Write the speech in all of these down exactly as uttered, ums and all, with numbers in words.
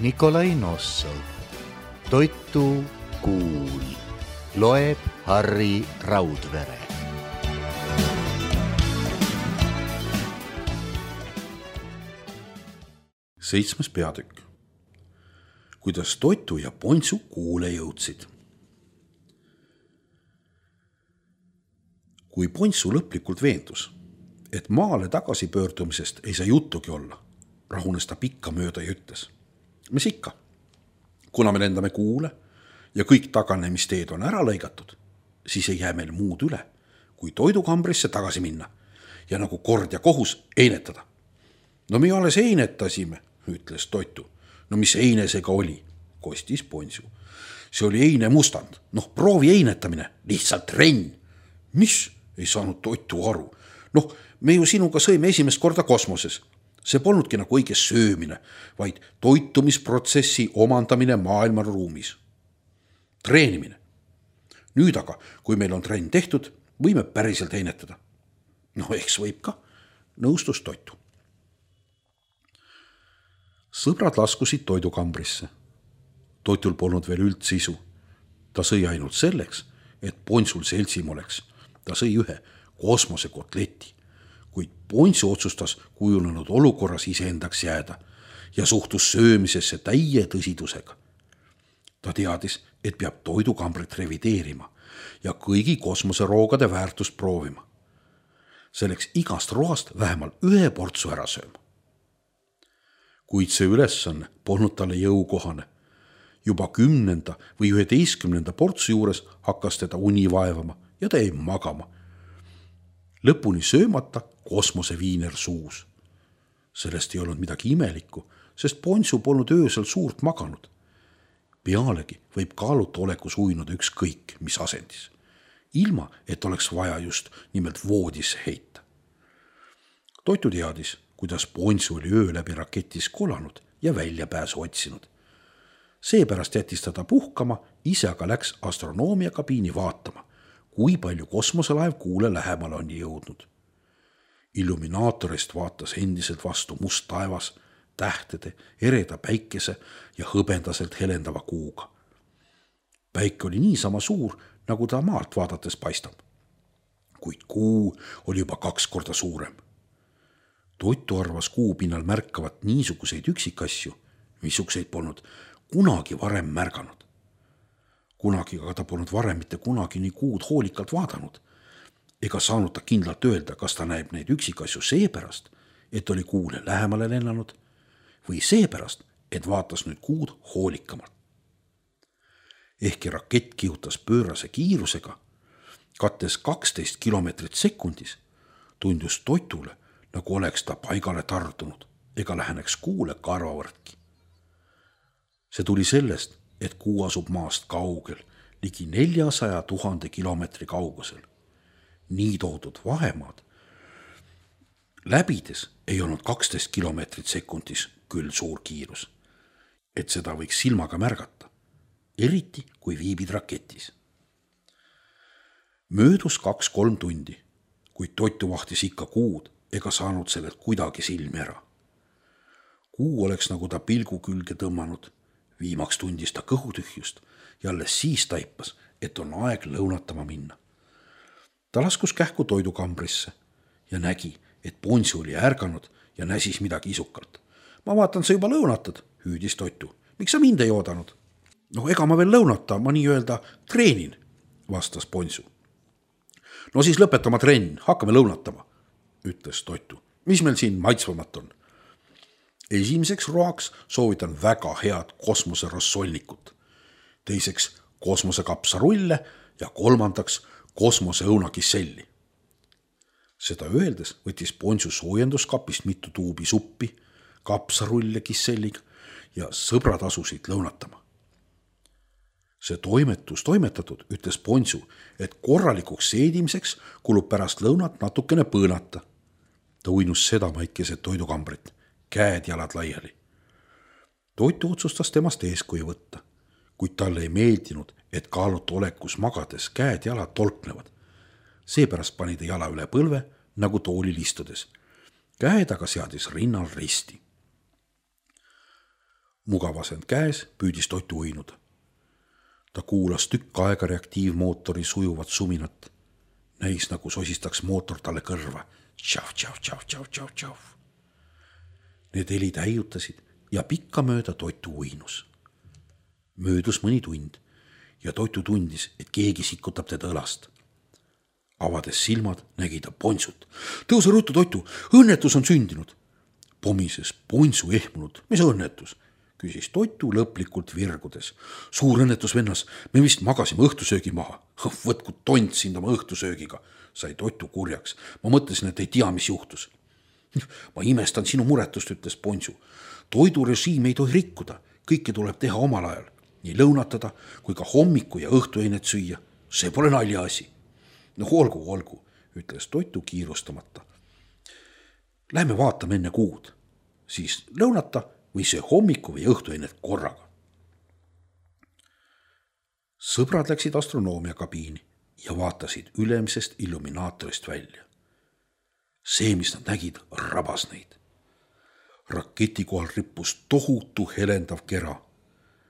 Nikolai Nossov. Toitu kuul. Loeb Harri Raudvere. Seitsmes peatükk. Kuidas Toitu ja Pontsu kuule jõudsid. Kui Pontsu lõplikult veendus, et maale tagasi pöördumisest ei saa juttugi olla, rahunes ta pikka mööda ja ütles. Mis ikka, kuna me lendame kuule ja kõik taganemisteed on ära lõigatud, siis ei jää meil muud üle, kui toidukambrisse tagasi minna ja nagu kord ja kohus einetada. No me alles einetasime, ütles Toitu. No mis einesega oli, kostis Pontsu. See oli eine mustand, noh proovi einetamine, lihtsalt renn. Mis? Ei saanud Toitu aru. Noh, me ju sinuga sõime esimest korda kosmoses. See polnudki nagu õige söömine, vaid toitumisprotsessi omandamine maailma ruumis. Treenimine. Nüüd aga, kui meil on trenn tehtud, võime päriselt einetada. No eks võib ka, nõustus Toitu. Sõbrad laskusid toidukambrisse. Toitul polnud veel üldsisu. Ta sõi ainult selleks, et Pontsul seltsim oleks. Ta sõi ühe kosmosekotleti, kuid Pontsu otsustas kujunenud olukorras iseendaks jääda ja suhtus söömisesse täie tõsidusega. Ta teadis, et peab toidukambrit revideerima ja kõigi kosmoseroogade väärtust proovima. Selleks igast roast vähemalt ühe portsu ära sööma. Kuid see ülesanne polnud talle jõukohane. Juba kümnenda või üheteistkümnenda portsu juures hakkas teda uni vaevama ja ta jäi magama. Lõpuni söömata kosmoseviiner suus. Sellest ei olnud midagi imelikku, sest Pontsu polnud öösel suurt maganud. Pealegi võib kaaluta olekus uinuda ükskõik, mis asendis. Ilma, et oleks vaja just nimelt voodisse heita. Toitu teadis, kuidas Pontsu oli öö läbi raketis kolanud ja väljapääsu otsinud. Seepärast jättis ta puhkama, ise aga läks astronoomiakabiini vaatama, kui palju kosmoselaev kuule lähemale on jõudnud. Illuminaatorist vaatas endiselt vastu must taevas, tähtede, ereda päikese ja hõbendaselt helendava kuuga. Päike oli niisama suur, nagu ta maalt vaadates paistab. Kuid kuu oli juba kaks korda suurem. Toitu arvas kuu pinnal märkavat niisuguseid üksikasju, missuguseid polnud kunagi varem märganud. Kunagi aga ta polnud varem mitte kunagi nii kuud hoolikalt vaadanud, ega saanud ta kindlalt öelda, kas ta näeb neid üksikasju seepärast, et oli kuule lähemale lennanud, või seepärast, et vaatas nüüd kuud hoolikamalt. Ehkki rakett kihutas pöörase kiirusega, kattes kaksteist kilomeetrit sekundis, tundus Toitule, nagu oleks ta paigale tardunud, ega läheneks kuule karvavõrdki. See tuli sellest, et kuu asub maast kaugel, ligi neljasaja tuhande kilomeetri kaugusel. Nii toodud vahemaad läbides ei olnud kaksteist kilomeetrit sekundis küll suur kiirus, et seda võiks silmaga märgata, eriti kui viibid raketis. Möödus kaks-kolm tundi, kuid Toitu vahtis ikka kuud ega saanud sellelt kuidagi silmi ära. Kuu oleks nagu ta pilgu külge tõmmanud. Viimaks tundis ta kõhutühjust ja alles siis taipas, et on aeg lõunatama minna. Ta laskus kähku toidukambrisse ja nägi, et Pontsu oli ärganud ja näsis midagi isukalt. Ma vaatan, sa juba lõunatad, hüüdis Toitu. Miks sa mind ei oodanud? No ega ma veel lõunata, ma nii öelda treenin, vastas Pontsu. No siis lõpetama trenn, hakkame lõunatama, ütles Toitu. Mis meil siin maitsvamat on? Esimeseks roaks soovitan väga head kosmoserossolnikut, teiseks kosmosekapsarulle ja kolmandaks kosmoseõunakisselli. Seda öeldes võttis Pontsu soojenduskapist mitu tuubi suppi, kapsarulle kisselliga ja sõbrad asusid lõunatama. See toimetus toimetatud, ütles Pontsu, et korralikuks seedimiseks kulub pärast lõunat natukene põõnata. Ta uinus seda maikeset toidukambrit, käed jalad laiali. Toitu otsustas temast eeskuju võtta, kuid talle ei meeldinud, et kaalutu olekus magades käed jalad tolknevad. Seepärast pani ta jala üle põlve, nagu toolil istudes. Käed aga seadis rinnal risti. mugavasend käes püüdis Toitu uinuda. Ta kuulas tükk aega reaktiivmootori sujuvat suminat. Näis nagu sosistaks mootor talle kõrva. Tšav, tšav, tšav, tšav, tšav, tšav. Need helid häiutasid ja pikka mööda Toitu uinus. Möödus mõni tund ja Toitu tundis, et keegi sikutab teda õlast. Avades silmad, nägi ta Ponsut. Tõuse ruttu, Toitu, õnnetus on sündinud. Pomises Ponsu ehmunud. Mis õnnetus? Küsis Toitu lõplikult virgudes. Suur õnnetus, vennas, me vist magasime õhtusöögi maha. Võtku tont sind oma õhtusöögiga, sai Toitu kurjaks. Ma mõtlesin, et ei tea, mis juhtus. Ma imestan sinu muretust, ütles Ponsu. Toidurežiim ei tohi rikkuda. Kõike tuleb teha omal ajal. Nii lõunatada, kui ka hommiku ja õhtueinet süüa. See pole nalja asi. No olgu, olgu, ütles Toitu kiirustamata. Lähme vaatame enne kuud. Siis lõunata või see hommiku või õhtueinet korraga. Sõbrad läksid astronoomia kabiini ja vaatasid ülemisest illuminaatorist välja. See, mis nad nägid, rabas neid. Raketi kohal rippus tohutu helendav kera,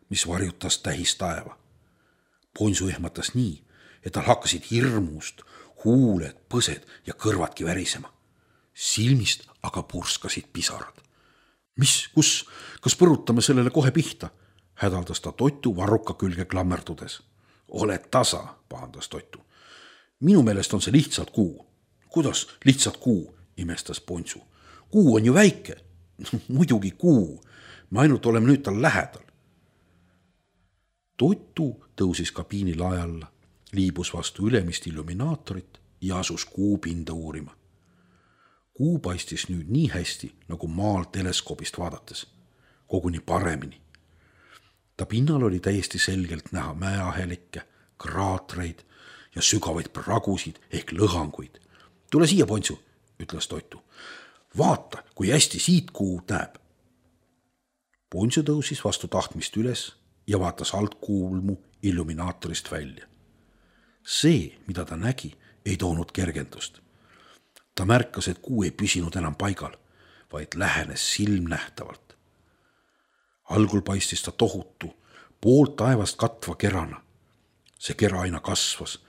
mis varjutas tähis taeva. Ponsu ehmatas nii, et tal hakkasid hirmust huuled, põsed ja kõrvadki värisema. Silmist aga purskasid pisarad. Mis, kus, kas põrutame sellele kohe pihta? Hädaldas ta Toitu varruka külge klammerdudes. Oled tasa, pahandas Toitu. Minu meelest on see lihtsalt kuu. Kuidas lihtsalt kuu, imestas Ponsu. Kuu on ju väike. Muidugi kuu. Me ainult oleme nüüd tal lähedal. Toitu tõusis kabiini lae alla, liibus vastu ülemist illuminaatorit ja asus kuu pinda uurima. Kuu paistis nüüd nii hästi, nagu maal teleskoobist vaadates, koguni paremini. Ta pinnal oli täiesti selgelt näha mäeahelikke, kraatreid ja sügavaid pragusid ehk lõhanguid. Tule siia, Ponsu, ütles Toitu. Vaata, kui hästi siit kuu näeb. Ponsu tõusis vastu tahtmist üles ja vaatas alt kuulmu illuminaatorist välja. See, mida ta nägi, ei toonud kergendust. Ta märkas, et kuu ei püsinud enam paigal, vaid lähenes silmnähtavalt. Algul paistis ta tohutu, poolt taevast katva kerana. See kera aina kasvas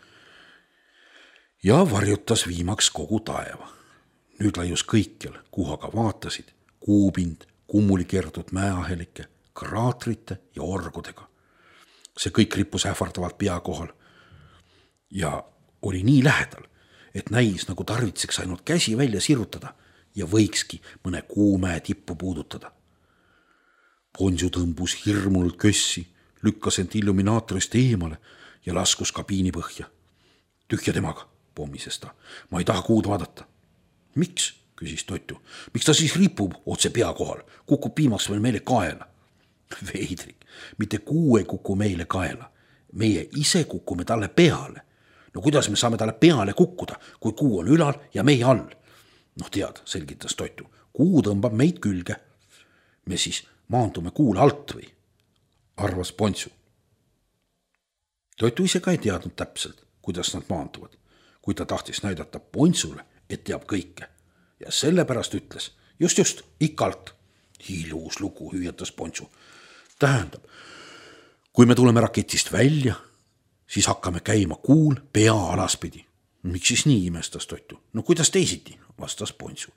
ja varjutas viimaks kogu taeva. Nüüd laius kõikjal, kuhu aga vaatasid, kuupind, kummuli keertud mäeahelike, kraatrite ja orgudega. See kõik rippus ähvardavalt pea kohal ja oli nii lähedal, et näis, nagu tarvitseks ainult käsi välja sirutada ja võikski mõne kuumäe tippu puudutada. Ponsu tõmbus hirmunult kössi, lükkas end illuminaatorist eemale ja laskus kabiini põhja. Tühja temaga, pommises ta. Ma ei taha kuud vaadata. Miks, küsis Toitu. Miks ta siis ripub otse pea kohal? Kukub piimaks veel meile kaela. Veidrik, mitte kuu ei kuku meile kaela. Meie ise kukume talle peale. No kuidas me saame talle peale kukkuda, kui kuu on ülal ja meie all? Noh tead, selgitas Toitu. Kuu tõmbab meid külge. Me siis maandume kuule alt või? Arvas Ponsu. Toitu ise ka ei teadnud täpselt, kuidas nad maanduvad, kui ta tahtis näidata Ponsule, et teab kõike. Ja sellepärast ütles, just just, ikka alt. Ilus lugu, hüüatas Ponsu. Tähendab, kui me tuleme raketist välja, siis hakkame käima kuul pea alaspidi. Miks siis nii, imestas Toitu? No kuidas teisiti, vastas Ponsu.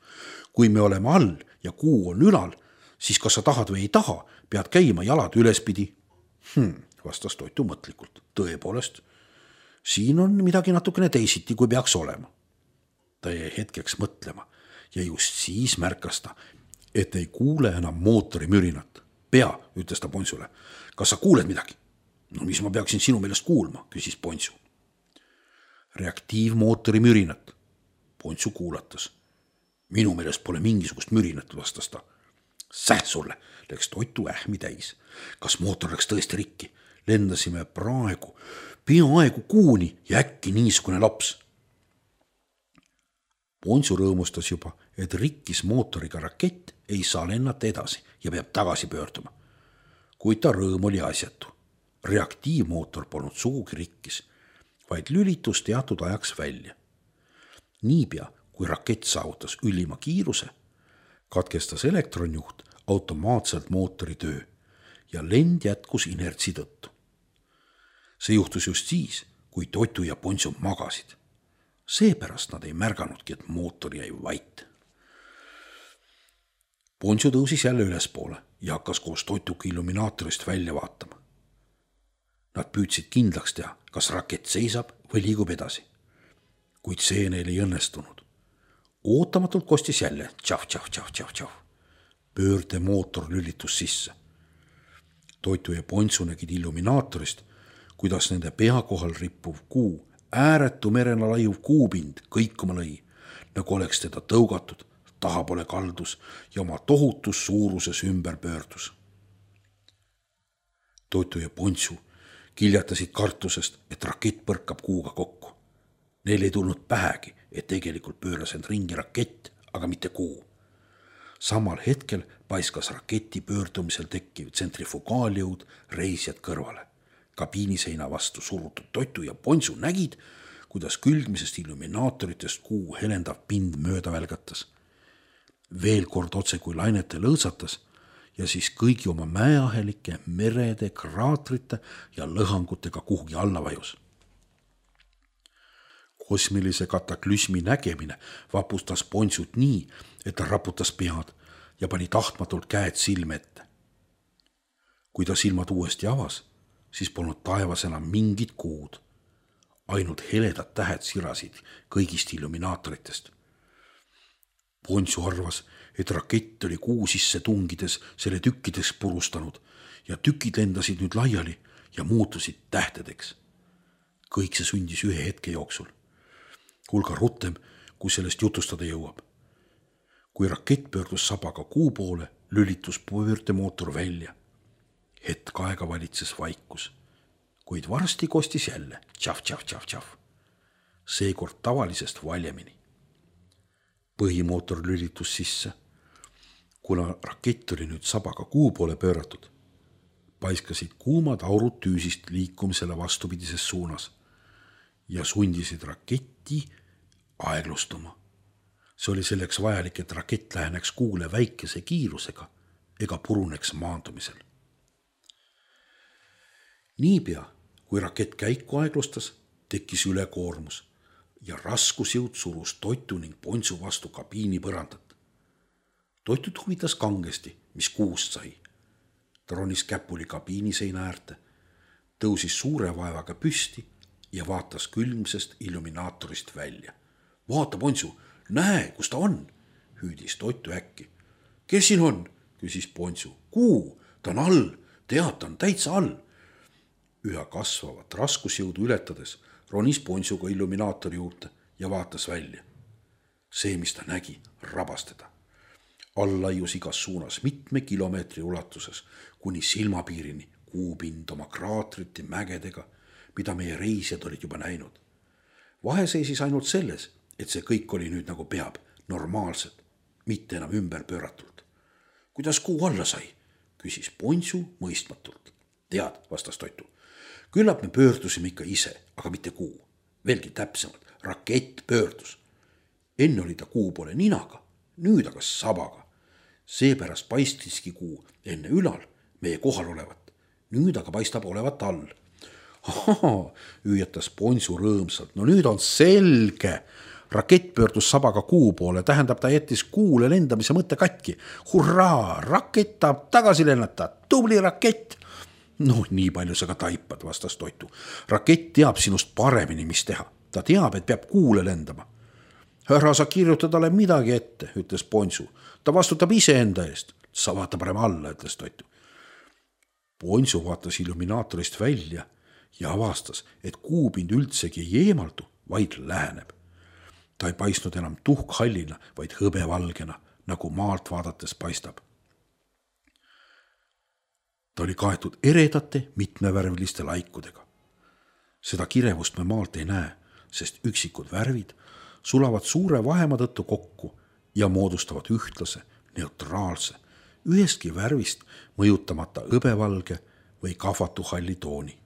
Kui me oleme all ja kuu on ülal, siis kas sa tahad või ei taha, pead käima jalad ülespidi. Hmm, vastas Toitu mõtlikult. Tõepoolest, siin on midagi natukene teisiti, kui peaks olema. Ta jäi hetkeks mõtlema ja just siis märkas ta, et ei kuule enam mootori mürinat. Pea, ütles ta Ponsule. Kas sa kuuled midagi? No mis ma peaksin sinu meelest kuulma, küsis Ponsu. Reaktiivmootori mürinat. Ponsu kuulatas. Minu meelest pole mingisugust mürinat, vastas ta. Säh sulle, läks Toitu ähmi täis. Kas mootor läks tõesti rikki? Lendasime praegu, peaaegu kuuni ja äkki niisugune laps. Ponsu rõõmustas juba, et rikkis mootoriga rakett ei saa lennata edasi ja peab tagasi pöörduma. Kuid ta rõõm oli asjatu. Reaktiivmootor polnud sugugi rikkis, vaid lülitus teatud ajaks välja. Niipea, kui rakett saavutas ülima kiiruse, katkestas elektronjuht automaatselt mootori töö ja lend jätkus inertsi tõttu. See juhtus just siis, kui Totu ja Ponsu magasid. Seepärast nad ei märganudki, et mootor jäi vait. Ponsu tõusis jälle ülespoole ja hakkas koos Totuga illuminaatorist välja vaatama. Nad püüdsid kindlaks teha, kas rakett seisab või liigub edasi. Kuid see neil ei õnnestunud. Ootamatult kostis jälle tšaf, tšaf, tšaf, tšaf, tšaf. Pöörde mootor lülitus sisse. Totu ja Ponsu nägid illuminaatorist, kuidas nende pea kohal rippuv kuu, ääretu merena laiuv kuupind kõikuma lõi, nagu oleks teda tõugatud, tahapoole kaldus ja oma tohutus suuruses ümber pöördus. Totu ja Ponsu kiljatasid kartusest, et rakett põrkab kuuga kokku. Neil ei tulnud pähegi, et tegelikult pööras end ringi rakett, aga mitte kuu. Samal hetkel paiskas raketi pöördumisel tekkiv tsentrifugaaljõud reisijad kõrvale. Kabiiniseina vastu surutud Totu ja Ponsu nägid, kuidas külgmisest illuminaatoritest kuu helendav pind mööda välgatas. Veel kord otse kui lainete lõõtsatas ja siis kõigi oma mäeahelike, merede, kraatrite ja lõhangutega kuhugi alla vajus. Kosmilise kataklüsmi nägemine vapustas Ponsut nii, et ta raputas pead ja pani tahtmatult käed silme ette. Kui ta silmad uuesti avas, siis polnud taevas enam mingit kuud. Ainult heledad tähed sirasid kõigist illuminaatoritest. Ponsu arvas, et rakett oli kuu sisse tungides selle tükkideks purustanud ja tükid lendasid nüüd laiali ja muutusid tähtedeks. Kõik see sündis ühe hetke jooksul. Hulga rutem, kui sellest jutustada jõuab. Kui rakett pöördus sabaga kuu poole, lülitus pöördemootor välja. Hetk aega valitses vaikus, kuid varsti kostis jälle tšaf, tšaf, tšaf, tšaf. Seekord tavalisest valjemini. Põhimootor lülitus sisse. Kuna rakett oli nüüd sabaga kuu poole pööratud, paiskasid kuumad aurud tüüsist liikumisele vastupidises suunas ja sundisid raketti aeglustuma. See oli selleks vajalik, et rakett läheneks kuule väikese kiirusega ega puruneks maandumisel. Niipea, kui rakett käiku aeglustas, tekkis ülekoormus ja raskusjõud surus Totu ning Ponsu vastu kabiini põrandat. Totut huvitas kangesti, mis kuust sai. Ta ronis käpuli kabiiniseina äärte, tõusis suure vaevaga püsti ja vaatas külmsest illuminaatorist välja. Vaata, Ponsu, näe, kus ta on, hüüdis Totu äkki. Kes siin on, küsis Ponsu. Kuu, ta on all, tead, ta on täitsa all. Üha kasvavat raskusjõudu ületades ronis Ponsuga illuminaatori juurde ja vaatas välja. See, mis ta nägi, rabas teda. All laius igas suunas mitme kilomeetri ulatuses, kuni silmapiirini kuupind oma kraatrite mägedega, mida meie reisijad olid juba näinud. Vahe seisis ainult selles, et see kõik oli nüüd nagu peab, normaalselt, mitte enam ümber pööratult. Kuidas kuu alla sai, küsis Ponsu mõistmatult. Tead, vastas Totu. Küllap me pöördusime ikka ise, aga mitte kuu. Veelgi täpsemalt, rakett pöördus. Enne oli ta kuu poole ninaga, nüüd aga sabaga. Seepärast paistiski kuu enne ülal meie kohal olevat. Nüüd aga paistab olevat all. Ahaa, hüüatas Ponsu rõõmsalt. No nüüd on selge. Rakett pöördus sabaga kuu poole, tähendab, ta jättis kuule lendamise mõtte katki. Hurraa, rakett tahab tagasi lennata. Tubli rakett. No nii palju sa ka taipad, vastas Totu. Rakett teab sinust paremini, mis teha. Ta teab, et peab kuule lendama. Ära sa kirjuta talle midagi ette, ütles Ponsu. Ta vastutab ise enda eest. Sa vaata parem alla, ütles Totu. Ponsu vaatas illuminaatorist välja ja avastas, et kuupind üldsegi ei eemaldu, vaid läheneb. Ta ei paistnud enam tuhkhallina, vaid hõbevalgena, nagu maalt vaadates paistab. Ta oli kaetud eredate mitmevärviliste laikudega. Seda kirevust me maalt ei näe, sest üksikud värvid sulavad suure vahema tõttu kokku ja moodustavad ühtlase, neutraalse, ühestki värvist mõjutamata hõbevalge või kahvatuhalli tooni.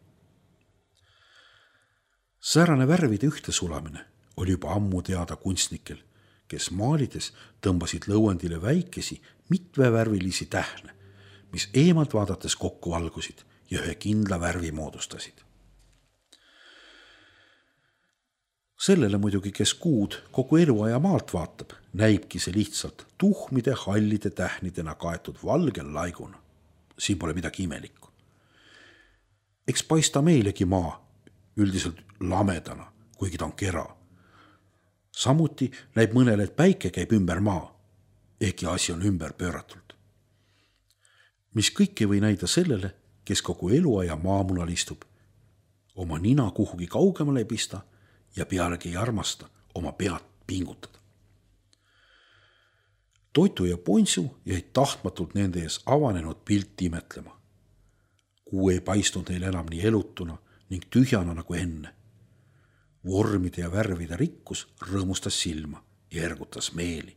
Säärane värvide ühte sulamine oli juba ammu teada kunstnikel, kes maalides tõmbasid lõuendile väikesi mitmevärvilisi tähne, mis eemalt vaadates kokku valgusid ja ühe kindla värvi moodustasid. Sellele muidugi, kes kuud kogu eluaja maalt vaatab, näibki see lihtsalt tuhmide hallide tähnidena kaetud valgel laiguna. Siin pole midagi imelikku. Eks paista meilegi maa üldiselt lamedana, kuigi ta on kera. Samuti näib mõnele, et päike käib ümber maa, ehkki asi on ümber pööratult. Mis kõik ei või näida sellele, kes kogu eluaja maamunal istub, oma nina kuhugi kaugemale ei pista ja pealegi ei armasta oma pead pingutada. Toitu ja Pontsu jäid tahtmatult nende ees avanenud pilti imetlema. Kuu ei paistnud neil enam nii elutuna ning tühjana nagu enne. Vormide ja värvide rikkus rõõmustas silma ja ergutas meeli.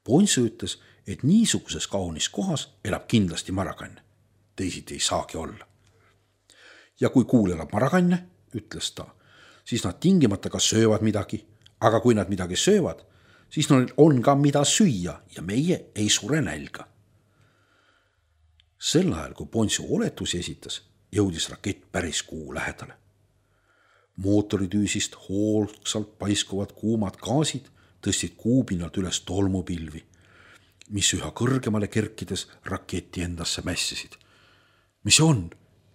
Pontsu ütles, et niisuguses kaunis kohas elab kindlasti marakanne. Teisiti ei saagi olla. Ja kui kuul elab marakanne, ütles ta, siis nad tingimata ka söövad midagi, aga kui nad midagi söövad, siis neil on ka mida süüa ja meie ei sure nälga. Sel ajal, kui Pontsu oletusi esitas, jõudis rakett päris kuu lähedale. Mootoritüüsist hoolsalt paiskuvad kuumad gaasid tõstsid kuupinnalt üles tolmupilvi, mis üha kõrgemale kerkides raketi endasse mässisid. Mis see on?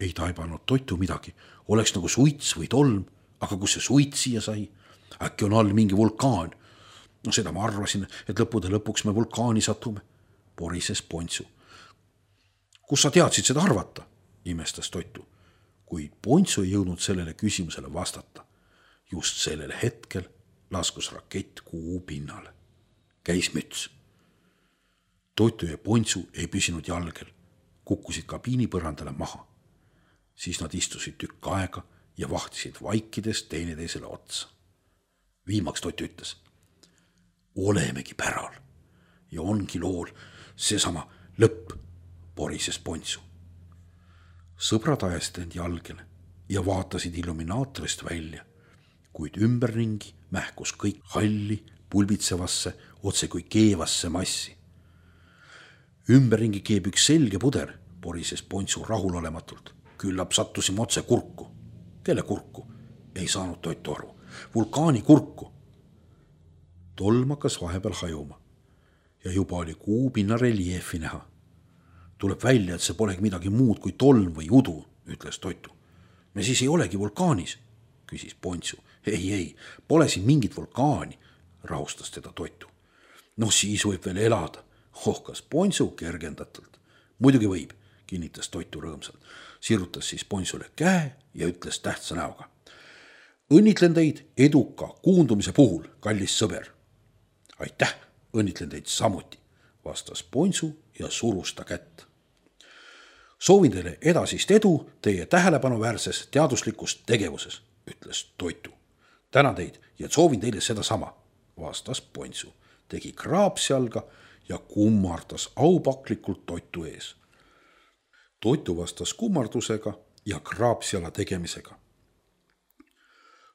Ei taibanud Toitu midagi. Oleks nagu suits või tolm, aga kus see suits siia sai? Äkki on all mingi vulkaan? No seda ma arvasin, et lõppude lõpuks me vulkaani satume. Porises Pontsu. Kus sa teadsid seda arvata? Imestas Toitu. Kuid Pontsu ei jõudnud sellele küsimusele vastata. Just sellel hetkel laskus rakett kuu pinnale. Käis müts. Toitu ja Pontsu ei püsinud jalgel, kukkusid kabiini põrandale maha. Siis nad istusid tükk aega ja vahtisid vaikides teineteisele otsa. Viimaks Toitu ütles, olemegi päral ja ongi lool seesama lõpp, porises Pontsu. Sõbrad ajasid end jalgele ja vaatasid illuminaatorist välja, kuid ümberringi mähkus kõik halli, pulbitsevasse, otse kui keevasse massi. Ümberringi keeb üks selge puder, porises Pontsu rahulolematult. Küllap sattusime otse kurku. Kelle kurku? Ei saanud Toitu aru. Vulkaani kurku. Tolm hakkas vahepeal hajuma ja juba oli kuu pinna reljeefi näha. Tuleb välja, et see polegi midagi muud kui tolm või udu, ütles Toitu. Me siis ei olegi vulkaanis, küsis Pontsu. Ei, ei, pole siin mingit vulkaani, rahustas teda Toitu. No siis võib veel elada, hohkas Pontsu kergendatult. Muidugi võib, kinnitas Toitu rõõmsalt. Sirutas siis Pontsule käe ja ütles tähtsa näoga. Õnnitlen teid eduka kuundumise puhul, kallis sõber. Aitäh, õnnitlen teid samuti, vastas Pontsu ja surus ta kätt. Soovin teile edasist edu teie tähelepanuväärses teaduslikus tegevuses, ütles Toitu. Tänan teid ja soovin teile seda sama, vastas Pontsu. Tegi kraapsjalga ja kummardas aupaklikult Toitu ees. Toitu vastas kummardusega ja kraapsjala tegemisega.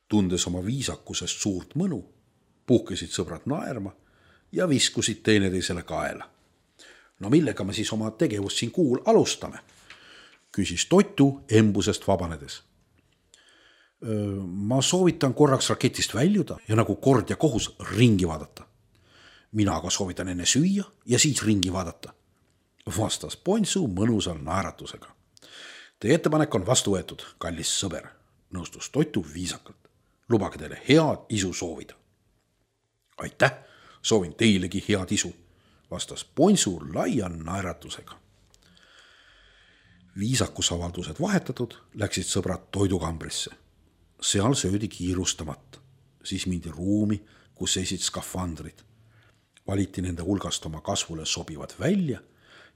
Tundes oma viisakusest suurt mõnu, puhkesid sõbrad naerma ja viskusid teineteisele kaela. No millega me siis oma tegevust siin kuul alustame? Küsis Toitu embusest vabanedes. Ma soovitan korraks raketist väljuda ja nagu kord ja kohus ringi vaadata. Mina aga soovitan enne süüa ja siis ringi vaadata, vastas Pontsu mõnusal naeratusega. Teie ettepanek on vastu võetud, kallis sõber, nõustus Toitu viisakalt. Lubage teile head isu soovida. Aitäh, soovin teilegi head isu, vastas Pontsu laia naeratusega. Viisakusavaldused vahetatud, läksid sõbrad toidukambrisse. Seal söödi kiirustamata, siis mindi ruumi, kus seisid skafandrid. Valiti nende hulgast oma kasvule sobivad välja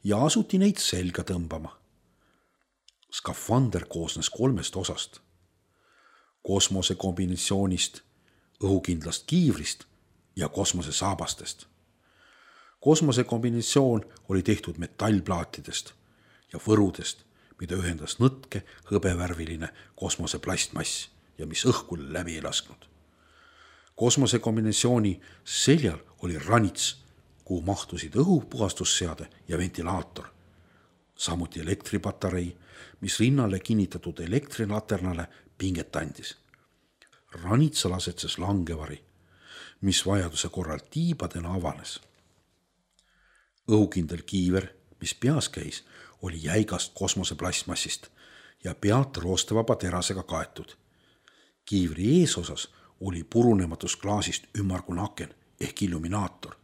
ja asuti neid selga tõmbama. Skafander koosnes kolmest osast. Kosmose kombinatsioonist, õhukindlast kiivrist ja kosmose saabastest. Kosmose kombinatsioon oli tehtud metallplaatidest ja võrudest, mida ühendas nõtke hõbevärviline kosmose plastmass ja mis õhku läbi ei lasknud. Kosmose kombinatsiooni seljal oli ranits, kuhu mahtusid õhupuhastusseade ja ventilaator. samuti elektripatarei, mis rinnale kinnitatud elektrinaternale pinget andis. Ranitsal asetses langevari, mis vajaduse korral tiibadena avanes. Õhukindel kiiver, mis peas käis, oli jäigast kosmoseplasmassist ja pealt roostevaba terasega kaetud. Kiivri eesosas oli purunematus klaasist ümmargune aken ehk illuminaator.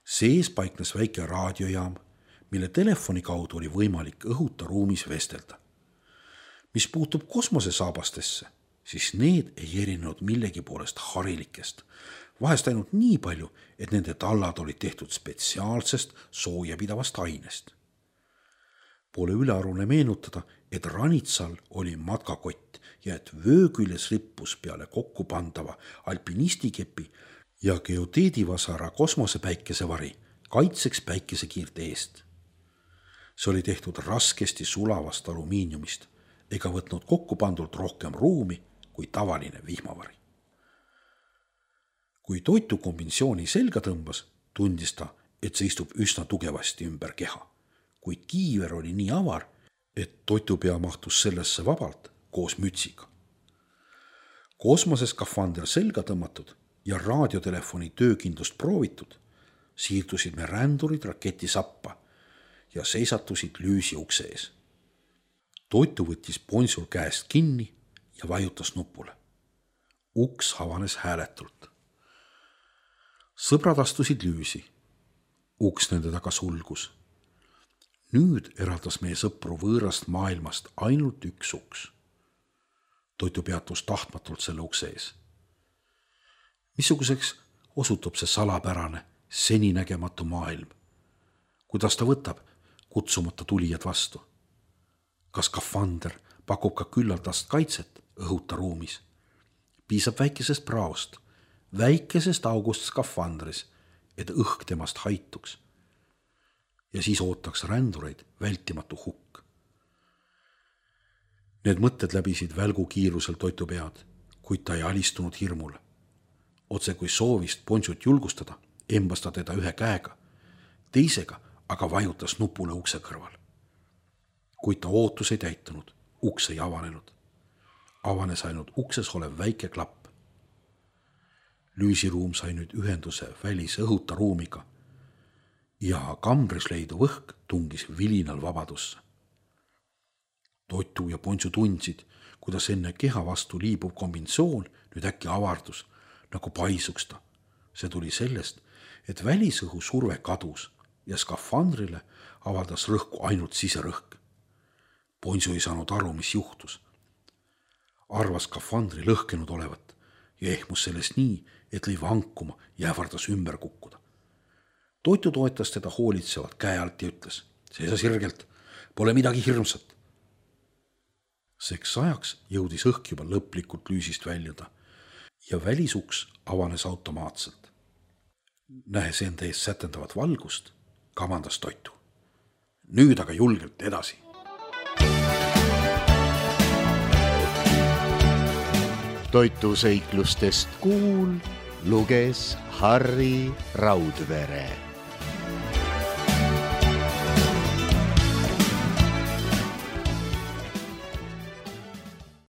Sees paiknes väike raadiojaam, mille telefoni kaudu oli võimalik õhuta ruumis vestelda. Mis puutub kosmosesaabastesse, siis need ei erinenud millegi poolest harilikest, vahest ainult nii palju, et nende tallad olid tehtud spetsiaalsest soojapidavast ainest. Pole ülearune meenutada, et Ranitsal oli matkakott ja et vöö küljes rippus peale kokku pandava alpinistikeppi ja geoteedivasara kosmosepäikesevari kaitseks päikesekiirte eest. See oli tehtud raskesti sulavast alumiiniumist ega võtnud kokku pandult rohkem ruumi kui tavaline vihmavari. Kui toitu kombinatsiooni selga tõmbas, tundis ta, et see istub üsna tugevasti ümber keha, kuid kiiver oli nii avar, et toitupea mahtus sellesse vabalt koos mütsiga. Kosmoseskafander selga tõmmatud ja raadiotelefoni töökindlust proovitud, siirdusid me rändurid raketi sappa ja seisatusid lüüsi ukse ees. Toitu võttis Ponsul käest kinni ja vajutas nupule. Uks avanes hääletult. Sõbrad astusid lüüsi. Uks nende taga sulgus. Nüüd eraldas meie sõpru võõrast maailmast ainult üks uks. Toitu peatus tahtmatult selle ukse ees. Missuguseks osutub see salapärane, seninägematu maailm? Kuidas ta võtab kutsumata tulijad vastu? Kas skafander pakub ka küllaldast kaitset õhuta ruumis? Piisab väikesest praost, väikesest august skafandris, et õhk temast haituks. Ja siis ootaks rändureid vältimatu hukk. Need mõtted läbisid välgu kiirusel toitu pead, kuid ta ei alistunud hirmule. Otse kui soovist Ponsut julgustada, embas ta teda ühe käega, teisega aga vajutas nupule ukse kõrval. Kuid ta ootus ei täitunud, uks ei avanenud. Avanes ainult ukses olev väike klapp. Lüüsiruum sai nüüd ühenduse välise õhuta ruumiga ja kambris leiduv õhk tungis vilinal vabadusse. Toitu ja Ponsu tundsid, kuidas enne keha vastu liibuv kombinatsioon nüüd äkki avardus, nagu paisuks ta. See tuli sellest, et välisõhu surve kadus ja skafandrile avaldas rõhku ainult siserõhk. Ponsu ei saanud aru, mis juhtus. Arvas skafandri lõhkenud olevat ja ehmus sellest nii, et lõi vankuma ja ähvardas ümber kukkuda. Toitu toetas teda hoolitsevalt käe alt ja ütles, seisa sirgelt, pole midagi hirmsat. Seks ajaks jõudis õhk juba lõplikult lüüsist väljuda ja välisuks avanes automaatselt. Nähes enda ees sätendavat valgust, kamandas toitu. Nüüd aga julgelt edasi. Toituseiklustest kuul luges Harri Raudvere.